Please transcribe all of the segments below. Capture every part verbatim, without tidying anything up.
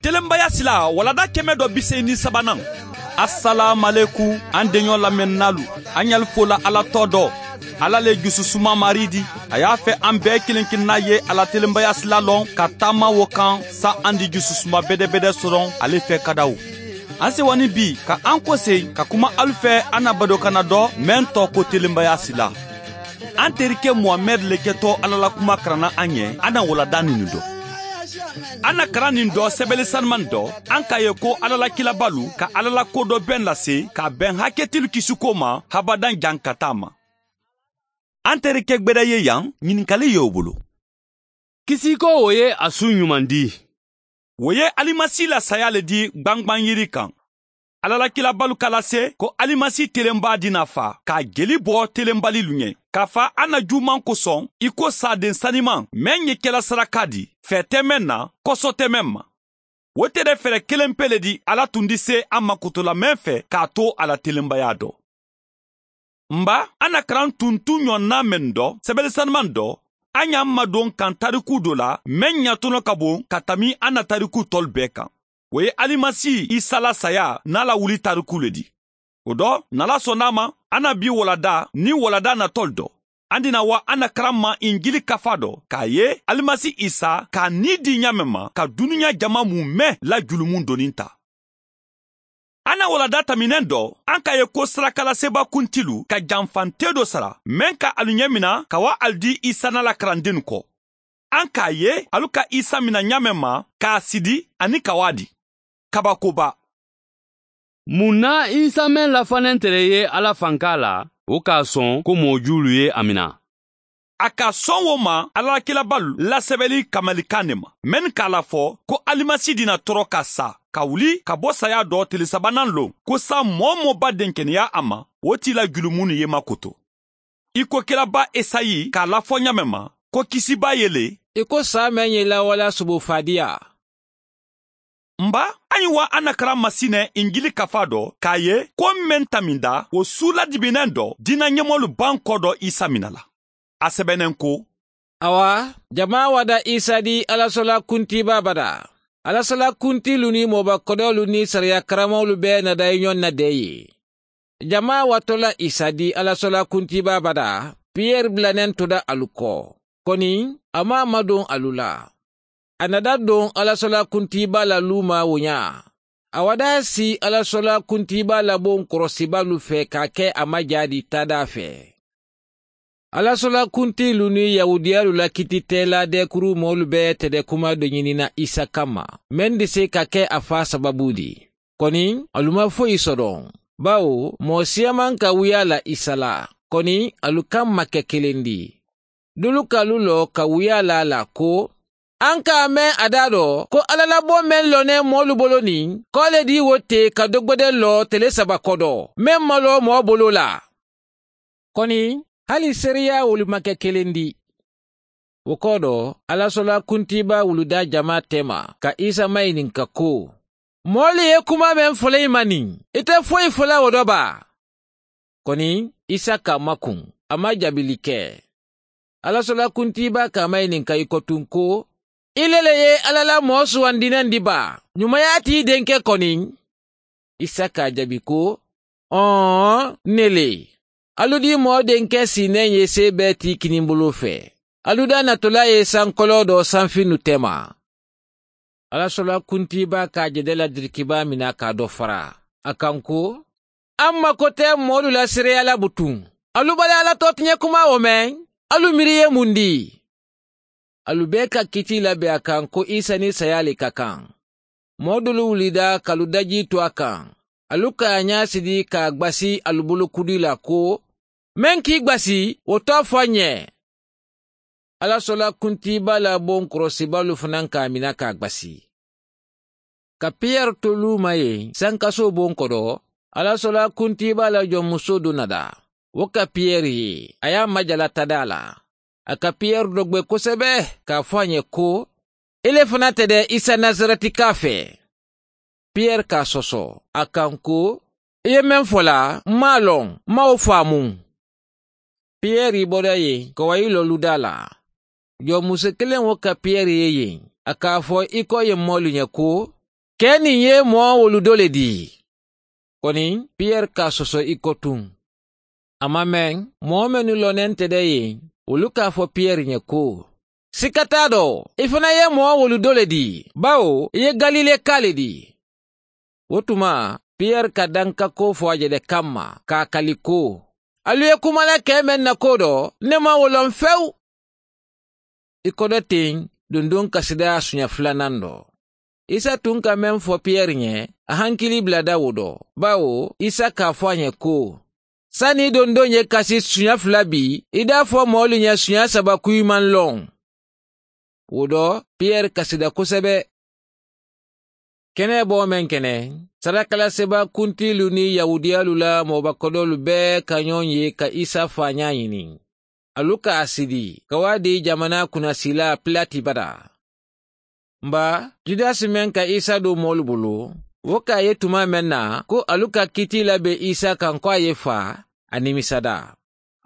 Telenbaya sila walanda kɛmɛ dɔ bi seegin ni sabanan. Asalaamualeykum, an deɲɔ lamɛnnaalu, an ɲali fola ala tɔ dɔ. Ala le jususuma maari di. A y'a fɛ an bɛɛ kelen kelenna ye a la telenbaya sila lɔn ka taama wo kan, sa an di jususuma bedebede sɔrɔ ale fɛ ka da o. An sewa ni bi ka an kose ka kuma alu fɛ an na badokanna dɔ, mɛn tɔ ko telenbaya sila. An terikɛ muhamɛdi le kɛtɔ ala la kuma karanna an ye, an na walanda nin dɔ. An na karan nin dɔ sɛbɛli saniman dɔ, an k'a ye ko ala la kilabalu ka ala la ko dɔ bɛn lase k'a bɛn hakɛtilu kisiko ma habadan jan ka taa ma. An terikɛ gbɛrɛ ye yan, ɲininkali ye o bolo. Kisiko wo ye a su ɲuman di. Wo ye alimasi la saya le di gbangban yiri kan. Ala la kilabalu ka lase ko alimasi telenba di na fa k'a jeli bɔ telenbalilu ɲɛ, k'a fa a na juman kosɔn i ko saaden saniman mɛn ye kɛla saraka di fɛ tɛ mɛn na, kɔsɔ tɛ mɛn ma. Wo tere fɛɛrɛ kelen pe le di ala tun di se a ma kotolamɛn fɛ k'a to a la telenbaya dɔ. N ba, an na karan tuntun ɲɔgɔnna mɛn dɔ sɛbɛli saniman dɔ, an y'an madon kan tariku dɔ la mɛn ɲatɔnɔ ka bon ka tami an na tariku tɔlu bɛɛ kan. Wo ye alimasi isa la saya n'a la wuli tariku le di. O dɔ, n'ala sɔnna a ma, an na bi walanda ni walanda natɔlu dɔ. An dina wa an na karan ma injili kafa dɔ k'a ye alimasi isa k'a ni di ɲaamɛ ma ka dunuɲa jama mun mɛn la julumun donni ta. An na walanda taminen dɔ, an k'a ye ko sarakalaseba kuntilu ka janfante dɔ sara mɛn ka alu ɲɛmina ka wa alu di isa n'a la karandennu kɔ. An k'a ye alu ka isa mina ɲaamɛ ma k'a sidi ani ka wa di. Kabakoba. Mun na isa mɛn lafannen tere ye ala fanka la, wo k'a sɔn ko mɔɔ juulu ye a mina? A ka sɔn wo ma ala la kilabalu la sɛbɛli kamalikan ne ma, mennu k'a la fɔ ko alimasi di na tɔɔrɔ ka sa ka wuli ka bɔ saya dɔ tile sabanan lon, ko sa mɔɔ-mɔɔ ba denkeneya a ma, wo t'i la julumunnu ye makoto. I ko kiraba esayi k'a la fɔ ɲaamɛ ma, ko kisiba ye le. I ko sa mɛn ye lawala subu fadiya. N ba, an ye wa an na karan masinɛ injili kafa dɔ k'a ye ko mɛn taminda wo su ladibinen dɔ diina ɲɛmɔlu ban kɔ dɔ isa mina la. A sɛbɛnnen ko, awa, jama wada isa di alasɔla kuntiba bada. Alasɔla kuntilu ni mɔba kɔdɔlu ni sariya karamɔlu bɛɛ nada i ɲɔn na de ye. Jama watɔla isa di alasɔla kuntiba bada. Piyɛri bilanen toda alu kɔ. Kɔni, a ma madon alu la. A na da don alasɔla kuntiba la luuma wo ɲa. A wa da si alasɔla kuntiba la bon kɔrɔsibalu fɛ k'a kɛ a ma ja di taada fɛ. Alasɔla kuntilu ni yahudiyalu la kititɛla dɛkuru mɔlu bɛ tɛdɛkuma dɔ ɲinina isa kanma, men di se ka kɛ a fa sababu di. Kɔni, alu ma foyi sɔdɔn, bawo mɔɔ siyaman ka wuya la isa la. Kɔni, alu kan ma kɛ kelen di. Dolu kalu lɔ ka wuya la a la ko, an ka a mɛn a da dɔ ko alalabɔ men lɔnnen mɔlu bolo nin, kɔ le di wo te ka dɔgbɛdɛ lɔ tele saba kɔdɔ, men ma lɔ mɔɔ bolo la. Kɔni, hali seereya wolu ma kɛ kelen di. Wo kɔ dɔ, alasɔla kuntiba wuluda jama tɛma ka isa mayininka ko, mɔɔ le ye kuma men fɔlɔ i ma nin, i tɛ foyi fɔla wo dɔ ba? Kɔni, isa ka makun, a ma jabili kɛ. Alasɔla kuntiba ka mayininka i kɔtun ko, i le le ye ala la mɔɔ suwandinen di ba? Ɲumaya t'i denkɛ kɔni? Isa k'a jaabi ko, ɔɔn, ne le. Alu di mɔɔ denkɛ sinnen ye se bɛɛ ti kinibolo fɛ. Alu da natɔla ye sankɔlɔ dɔ sanfinnu tɛma. Alasɔla kuntiba k'a jɛdɛ la dirikiba mina k'a dɔ fara a kan ko, an mako tɛ mɔɔlu la seereya la butun. Alu bali ala tɔtiɲɛ kuma wo mɛn, alu miiri ye mun di? Alu bɛɛ ka kiti labɛn a kan ko isa ni saya le ka kan. Mɔɔ dolu wulida k'alu daji to a kan, alu k'a ɲa sidi k'a gbasi alu bolo kudi la ko, men k'i gbasi, wo to fɔ n ye. Alasɔla kuntiba la bon kɔrɔsibalu fana k'a mina k'a gbasi. Ka piyɛri to luuma ye sankaso bon kɔdɔ, alasɔla kuntiba la jɔnmuso do nada. Wo ka piyɛri ye, a y'a majala tadaa la. A ka piyɛri dɔgbe kosɛbɛ k'a fɔ a ye ko, i le fana tɛ dɛ isa nazarɛtika fɛ. Piyɛri k'a sɔsɔ a kan ko, i ye men fɔ la, n m'a lɔn, n ma wo faamu. Piyɛri bɔra yen ka wa i lɔluda la. Jɔnmuso kelen wo ka piyɛri ye yen, a k'a fɔ i kɔ ye mɔlu ɲɛ ko, Kee niŋ ye moo wolu doo le dii. Koniŋ piyeri ka a soso i kotuŋ. A ma meŋ moo mennu loneŋ te de yeŋ wolu ka a fo piyeri ñe ko, sika taa doo i fanaŋ ye moo wolu doo le dii, bawo i ye galilekaa le dii. Wo tuma piyeri ka dankakoo fo a je de kamma ka a kali ko, ali ye kuma la kee meŋ na koo doo, nne maŋ wo loŋ fewu. I kodo teŋ dunduŋ kasidaa suña fulanaŋ doo. Isa tuŋ ka meŋ fo piyeri ñe, a hankili bulada wo doo. Bawo isa ka a fo a ñe ko, sani i dondoŋ ye kasi suña fula bii, i daa fo moolu ñe suña saba kuyi maŋ loŋ. Wo doo piyeri kasida kosebe. Keneboo meŋ ke ne, sarakalasiba kuntiilu niŋ yahuudiyaalu la moobakodoolu bee ka ñoŋ ye ka isa faañaa ñiniŋ. Alu ka a sidi ka wo a dii jamanaa kunasiilaa pilati bata. Mba, judasi meŋ ka isa duu moolu bulu, wo ka a ye tumaa meŋ na ko alu ka kitii la be isa kaŋ ko a ye faa, a nimisada.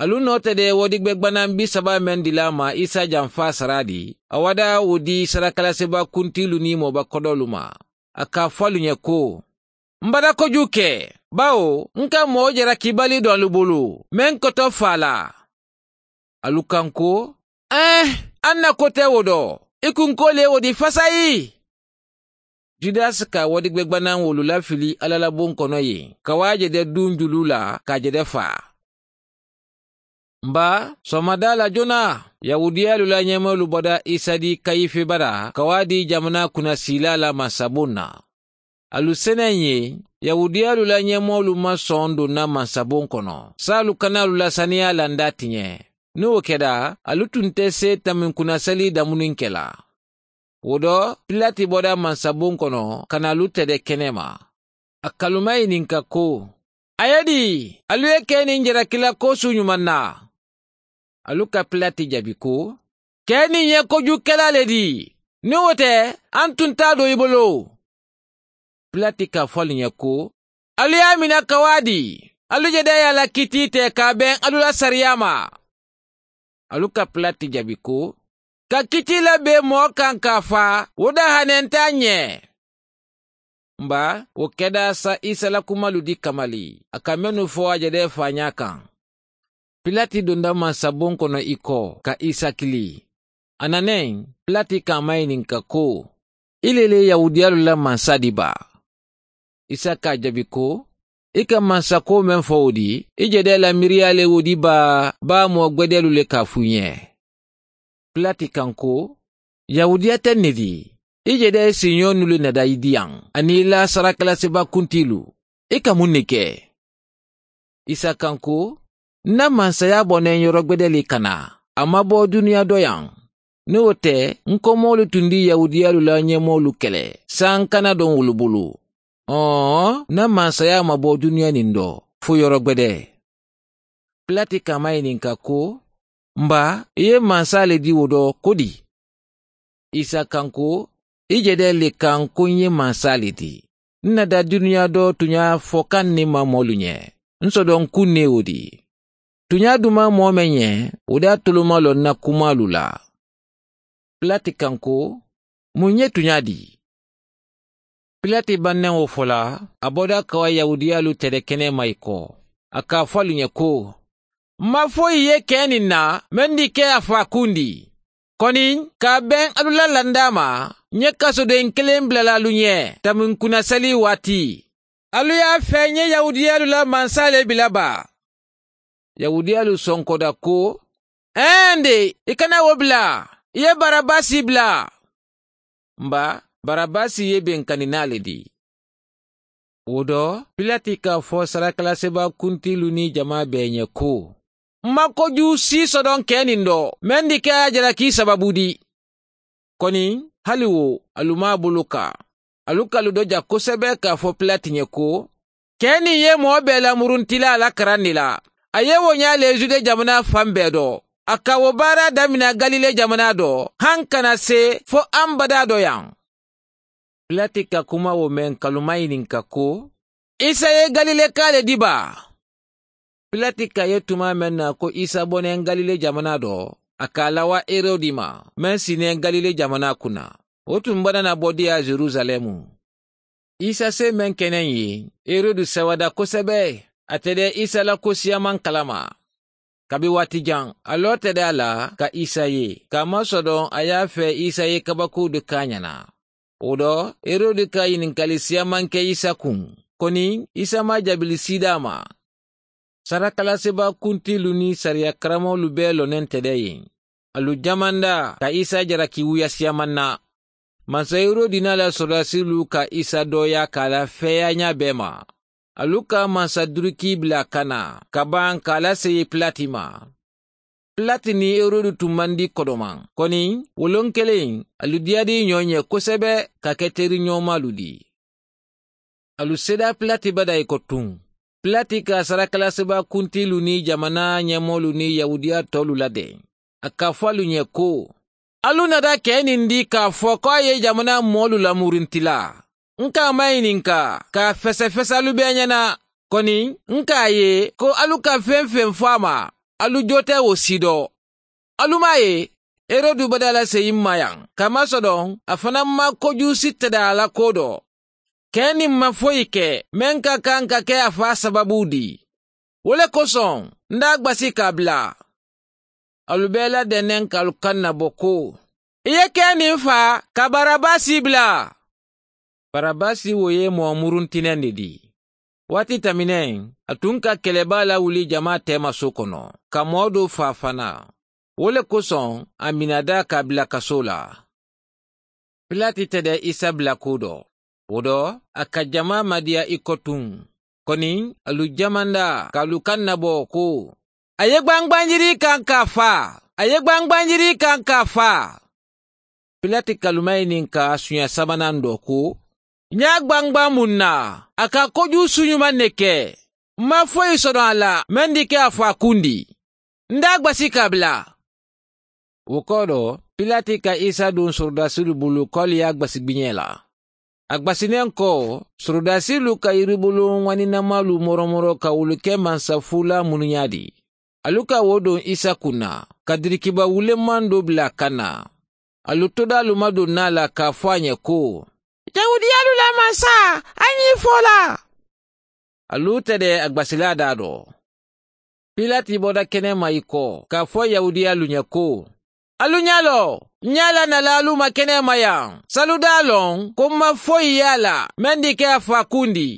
Alu noo te de wodigbegbanaa bisabaa meŋ dila a ma isa jamfaa saraa di, a wada wo dii sarakalasiba kuntiilu niŋ moobakodoolu ma. A ka a fo alu ñe ko, m bata kojuu ke, bawo n ka moo jarakibali doŋ alu bulu meŋ koto faa la. Alu kaŋ ko, eeh, a na kote wo do i kunkoolu ye wo di fasayi. Judasi ka wodigbegbananwolu lafili alla la buŋ kono ye ka wo a je de duŋ juluu la ka a je de faa. Mba, soomadaa la jonaa, yahuudiyaalu la ñemoolu boda isa di kayife bata ka wo a dii jamanaa kunasiilaa la mansabuŋ na. Alu seneŋ ye, yahuudiyaalu la ñemoolu maŋ soŋ duŋ na mansabuŋ kono saalu kana alu la saniyaa landa ti ñe. Niŋ wo keta, alu tuŋ te see taminkunasali damuniŋ ke la. Wo do, pilati boda mansabuŋ kono ka na alu tede kenema. A ka alu mayininka ko, a ye dii, alu ye ke niŋ jarakila koosu ñumaŋ na? Alu ka pilati jabi ko, ke niŋ ye kojuukelaa le dii. Niŋ wo te, a n tunta a do i bolo. Pilati ka a fo alu ñe ko, alu ye a mina ka wo a dii. Alu je de ye a la kitii te ka a beŋ alu la sariyaa ma. Alu ka pilati jabi ko, ka kitii la bee moo kaŋ ka a faa, wo dahanenta a ñe. Mba, wo kedaasa isa la kumalu di kamali a ka mennu fo a je de faañaa kaŋ. Pilati dunda mansabuŋ kono i ko ka isa kili. A naneŋ, pilati ka a mayininka ko, i le le yahuudiyaalu la mansa di baa? Isa ka a jabi ko, i ka mansakoo meŋ fo wo di, i je de la miiriyaa le wo di baa baa moo gbedeelu le ka a fuu ñe? Pilati kaŋ ko, yahuudiya te n ne di? I je de siiñoo nulu nada i diyaŋ aniŋ i la sarakalasiba kuntiilu. I ka muŋ ne ke? Isa kaŋ ko, n na mansayaa boneŋ yorogbede le kana. A ma bo duniyaa doyaŋ. Niŋ wo te, n komoolu tundi yahuudiyaalu la ñemoolu kele saaŋ kana doŋ wolu bulu. Ɔɔ, n na mansayaa ma bo duniyaa niŋ do fo yorogbede. Pilati ka a mayininka ko, mba, i ye mansa le di wo do ko di? Isa kaŋ ko, i je de le kaŋ ko n ye mansa le di. N na da duniyaa do tuñaa fo kaŋ ne ma moolu ñe. N sodoŋ kuŋ ne wo di. Tuñaa dumaa moo meŋ ñe, wo de alitolu ma loŋ n na kumaalu la. Pilati kaŋ ko, muŋ ye tuñaa di? Pilati banneŋo fo la, a boda ka wa yahuudiyaalu tede kenema i ko. A ka a fo alu ñe ko, m maŋ foyi ye kee niŋ na meŋ di ke a faakundi. Koniŋ ka a beŋ alu la landaa ma, ǹ ye kasodeŋ kiliŋ bula la alu ñe taminkunasali waati. Alu ye a fee ǹ ye yahuudiyaalu la mansa le bila baa? Yahuudiyaalu sonkoda ko, eende, i kana wo bila. I ye barabasi bila. Mba, barabasi ye benkaninaa le di. Wo do, pilati ka a fo sarakalasiba kuntiilu niŋ jamaa bee ñe ko, m maŋ kojuu sii sodoŋ kee niŋ do meŋ di ke a ye a jalaki sabaabu di. Koniŋ, hali wo, alu maŋ a bulu ka alu ka alu doja kosebe ka a fo pilati ñe ko, kee niŋ ye moo bee lamurunti la a la karaŋ ne la. A ye wo ñaa le jude jamanaa faŋ bee do. A ka wo baaraa damina galile jamanaa do, haŋ kana see fo ambadaa doyaŋ. Pilati ka kuma wo meŋ ka alu mayininka ko, isa ye galilekaa le di baa? Pilati ka a ye tumaa meŋ na ko isa boneŋ galile jamanaa do, a ka a lawa herodi ma, meŋ si neŋ galile jamanaa kuŋ na. Wo tuŋ banana bodiyaa yerusaleemu. Isa see meŋ ke neŋ ye, Herodi seweda kosebe. A tede isa la kosiyaman kalama. Kabi waati jaŋ a loo tede a la ka isa ye, ka masodoŋ a ye a fee isa ye kabakuudu kaañana. Wo do, Herodi ka yinikali siyaman ke isa kuŋ. Koni isa maŋ a jabili siidaa ma. Sarakalasebaa kuntiilu niŋ sariya karamolu bee loneŋ tede ye. Alu jamanda ka isa jaraki wuyasiyaman na. Mansa Herodi niŋ a la sorodaasilu ka isa dooyaa ka a la feeyaañaa bee ma. Alu ka mansa durikii bila ka naa ka baŋ ka a la seyi pilati ma. Pilati niŋ Herodi tun maŋ dii kodomaŋ. Koni woloŋ keleŋ alu diyaadii ñoo ñe kosebe ka ke teriñoomaalu dii. Alu seedaa pilati bada i ko tuŋ. Pilati ka sarakalasebaa kuntiilu niŋ jamanaa ñemoolu niŋ yahuudiya toolu la deŋ. A ka a fo alu ñe ko, alu nata kee niŋ dii ka a fo ko a ye jamanaa moolu lamurinti la. N ka a mayininka ka a fesefese alu bee ñana. Koni n ka a ye ko alu ka feŋ-feŋ fo a ma, alu joo te wo siidoo. Alu maŋ a ye herodi bada la seyi maayaŋ ka masodoŋ a fanaa maŋ kojuusi tede a la koo do. Kee niŋ maŋ foyi ke meŋ ka kaŋ ka ke a faa sababuu dii. Wo le kosoŋ n daa gbasi ka a bula. Alu bee la dendeŋ ka alu kaŋ na bo ko, i ye kee niŋ faa ka barabasi bula. Barabasi wo ye moo muruntineŋ ne dii. Waati tamineŋ a tun ka kelebaa lawuli jamaa teema soo kono ka moo doo faa fanaa. Wo le kosoŋ a minadaa ka a bula kasoo la. Pilati tede isa bula kuu do. Wo do a ka jamaa madiya i ko tuŋ. Koni alu jamanda ka alu kaŋ na bo ko, a ye gbangbanjirii kaŋ ka a faa. A ye gbangbanjirii kaŋ ka a faa. Pilati ka alu mayininka suña sabanaŋ do ko, ñe a gbangbaŋ muŋ na? A ka kojuusu ñumaŋ ne ke. M maŋ foyi sodoŋ a la meŋ di ke a fo a kundi. N daa gbasi ka a bula. Wo koo do pilati ka isa duŋ sorodaasilu bulu ko ali ye a gbasi gbiñee la. A gbasi neŋ ko, sorodaasilu ka yiribuluŋ waninamaalu moromoro ka wolu ke mansa fuulaa munuñaa di. Alu ka wo duŋ isa kuŋ na ka dirikiba wulemmaŋ do bula a kaŋ na. Alu todaalu maduŋ naa la ka a fo a ñe ko, yahudiyaalu la mansa, a ñiŋ fo la. Alu tede a gbasilaa daa do. Pilati boda kenema i ko ka a fo yahudiyaalu ñe ko, alu ña loo, ña la nalaalu ma kenema yaŋ saludaa loŋ ko m ma foyi ye a la meŋ di ke a fo a kundi.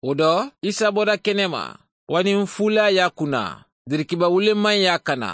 Wo do isa boda kenema waniŋ fuulaa ye a kuna, dirikiba wulemmaŋ ye a kana.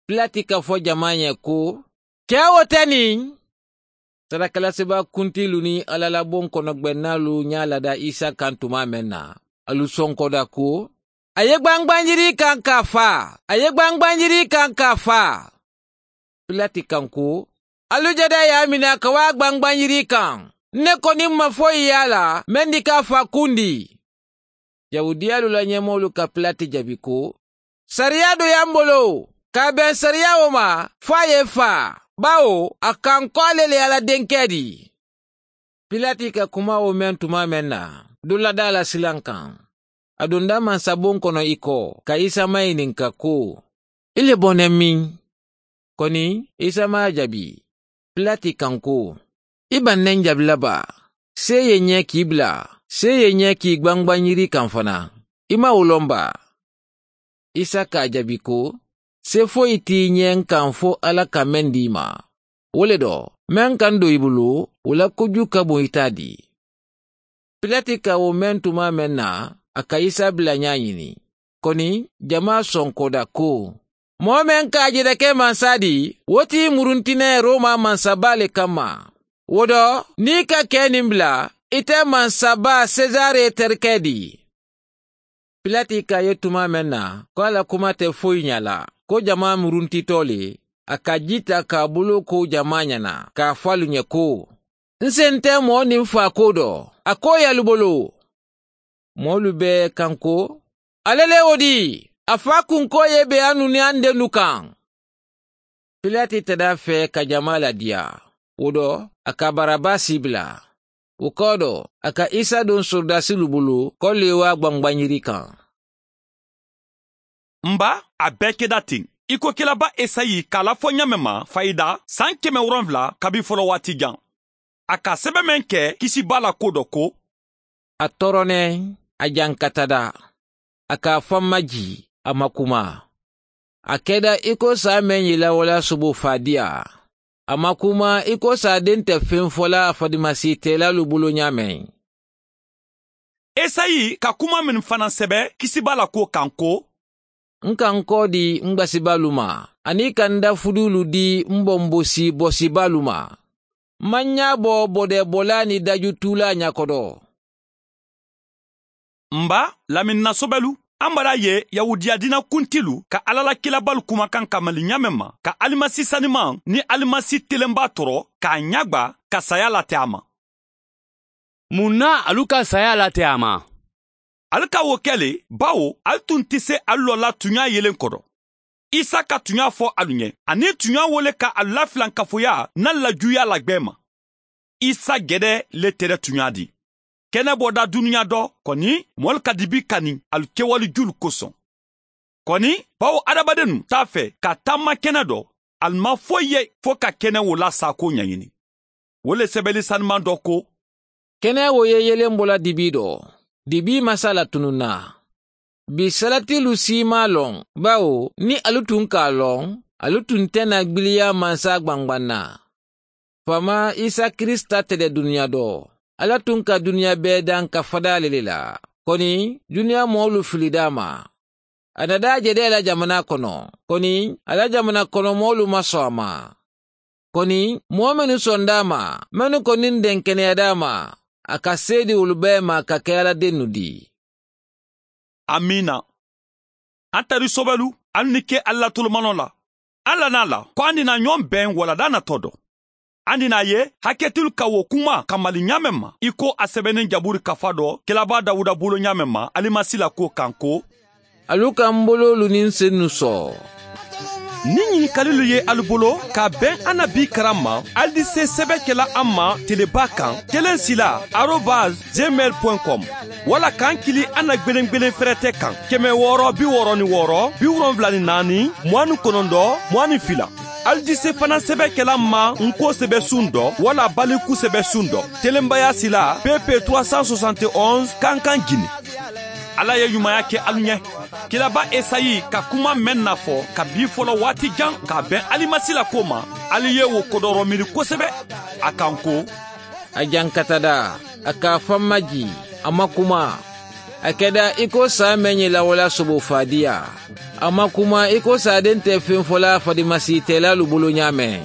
Pilati ka fo jamaa ñe ko, kee wo te niŋ? Sarakalasebaa kuntiilu niŋ alla la boŋ kono gbennaalu ñaa lada isa kaŋ tumaa meŋ na, alu sonkoda ko, a ye gbangbanjirii kaŋ ka a faa. A ye gbangbanjirii kaŋ ka a faa. Pilati kaŋ ko, alu jada ye a mina ka waa gbangbanjirii kaŋ. N ne ko niŋ m ma foyi ye a la meŋ di ka a fo a kundi. Yahudiyaalu la ñemoolu ka pilati jabi ko, sariyaa do ye a m bolo ka a beŋ sariyaa wo ma fo a ye i faa, bawo a kaŋ ko ale le ye a la denkee dii. Pilati ka kuma wo meŋ tumaa meŋ na, duladaala silaŋ kaŋ. A dunda mansa boŋ kono i ko ka isa mayininka ko, i le boneŋ miŋ? Koni isa maŋ a jabi. Pilati kaŋ ko, i baŋ ne n jabi la baa? See ye ñee ka i bula, see ye ñee ka i gbangbaŋ yiri kaŋ fanaa. I maŋ wo loŋ baa? Isa ka a jabi ko, see foyi ti i ñee n kaŋ fo alla ka meŋ dii ma. Wo le do meŋ ka n do i bulu, wo la kojuu ka buŋ i taa dii. Pilati ka wo meŋ tumaa meŋ na, a ka isa bula ñaa ñini. Koni jamaa sonkoda ko, moo meŋ ka a je de ke mansa dii, wo ti i murunti ne rooma mansabaa le kamma. Wo do niŋ i ka kee niŋ bula, i te mansabaa sesare terikee dii. Pilati ka a ye tumaa meŋ na ko a la kuma te foyi ñaa la, ko jamaa muruntitoo le, a ka jii taa ka a buloo ko jamaa ñana ka a fo alu ñe ko, n sente moo niŋ faa koo do, a koo ye alu bolo. Moolu bee kaŋ ko, ale le wo dii, a fo a kunkoo ye be a nuŋ niŋ a ndennu kaŋ. Pilati te daa fee ka jamaa la diyaa. Wo do a ka barabasi bula. Wo koo do a ka isa duŋ sorodaasilu bulu ko liiwaa gbangbaŋ yiri kaŋ. N ba, a bee keda teŋ i ko kilaba esayi ka a lafo ñaameŋ ma fayida saŋ keme woronfula kabi folo waati jaŋ. a ka a sebe meŋ ke kisibaa la kuwo do ko, a toroneŋ, a jankatada, a ka a faŋ majii, a ma kuma. A keda i ko saa meŋ ye lawalaa soboo faadiyaa. A ma kuma i ko saa deŋ te feŋ fo la a fadimasii teelaalu bulu ñaameŋ. Esayi ka kuma mennu fanaŋ sebe kisibaa la kuwo kaŋ ko, n ka n koo dii n gbasibaalu ma, aniŋ i ka n dafuduulu dii n bombosi bosibaalu ma. Maŋ ñaa bo bodeebolaa niŋ dajutuulaa ñakodo. N ba, laminna sobelu, a mara ye yahudiya diina kuntilu ka alla la kilabaalu kumakan kamali ñaameŋ ma ka alimasi sanimaŋ niŋ alimasi telenbaa toro ka a ñagba ka saya late a ma. Muŋ na alu ka saya late a ma? Ali ka wo ke le, bawo ali tun ti se ali lola tuɲa yelen kodo. Isa ka tuɲa fo alu ɲe, aniŋ tuɲa wo le ka alu lafilankafoya niŋ lajuya la gbee ma. Isa gede le tere tuɲa di. Kene boda duniɲa do, koni moolu ka dibi kani alu kewali julu kosoŋ. Koni, bawo adamadennu t'a fe ka tamma kene do, alu maŋ foyi ye fo ka kene wo la saako ɲaɲini. Wo le sebeli sanimaŋ do ko, kene wo ye yelembola dibi do, dibi masa la tununna. Bi salatilu si maŋ a loŋ, bawo niŋ alu tun ka a loŋ, alu tun te na gbiliya mansa gbangbanna. Fama isa kirisita tede duniya do. Alla tun ka duniya bee daŋ ka fada le le la. Koni, duniya moolu fili daama. A na daa jede la jamana kono. Koni, alla jamana kono moolu ma soŋ a ma. Koni, moo mennu soŋ daama, mennu koni n denkeneya daama, a ka seedi wolu bee ma ka ke alla dennu di. Amiina. An tari sobelu, ali ni ke ali la tolomanoo la. An la naa la ko an di naa ñoŋ beŋ wala daa na to do. An di naa ye haketilu ka wo kuma kamali ñaameŋ ma i ko a sebenin jaburi kafa do kilabaa dawuda bulo ñaameŋ ma alimasi la kuwo kaŋ ko, alu ka n boloolu niŋ sennu soo. Niŋ ñinikalilu ye alu bolo ka a beŋ a na bii karaŋ ma, ali di se sebe ke la a ma telebaa kaŋ keleŋ sila arobas gmail point com, walla ka n kili a na gbelengbelen ferete kaŋ keme wooro bi wooro ni wooro bi wolonwula ni naani muwaani konondo muwaani fila. Ali di se fanaŋ sebe ke la n ma n ko sebe suŋ do walla baliku sebe suŋ do. Telenbaya sila pp trois cent soixante et onze kankan jini. Alla ye ɲumaya ke alu ɲe. Kilaba esayi ka kuma meŋ nafo ka bii folo waati jaŋ ka a beŋ alimasi la ko ma, ali ye wo kodoro miiri kosebe. A kaŋ ko, a jankatada, a ka a faŋ maji, a ma kuma. A keda i ko saa meŋ ye lawala sobo faadiya. A ma kuma i ko saa deŋ te feŋ fo la fadimasi teelaalu bulu ñaameŋ.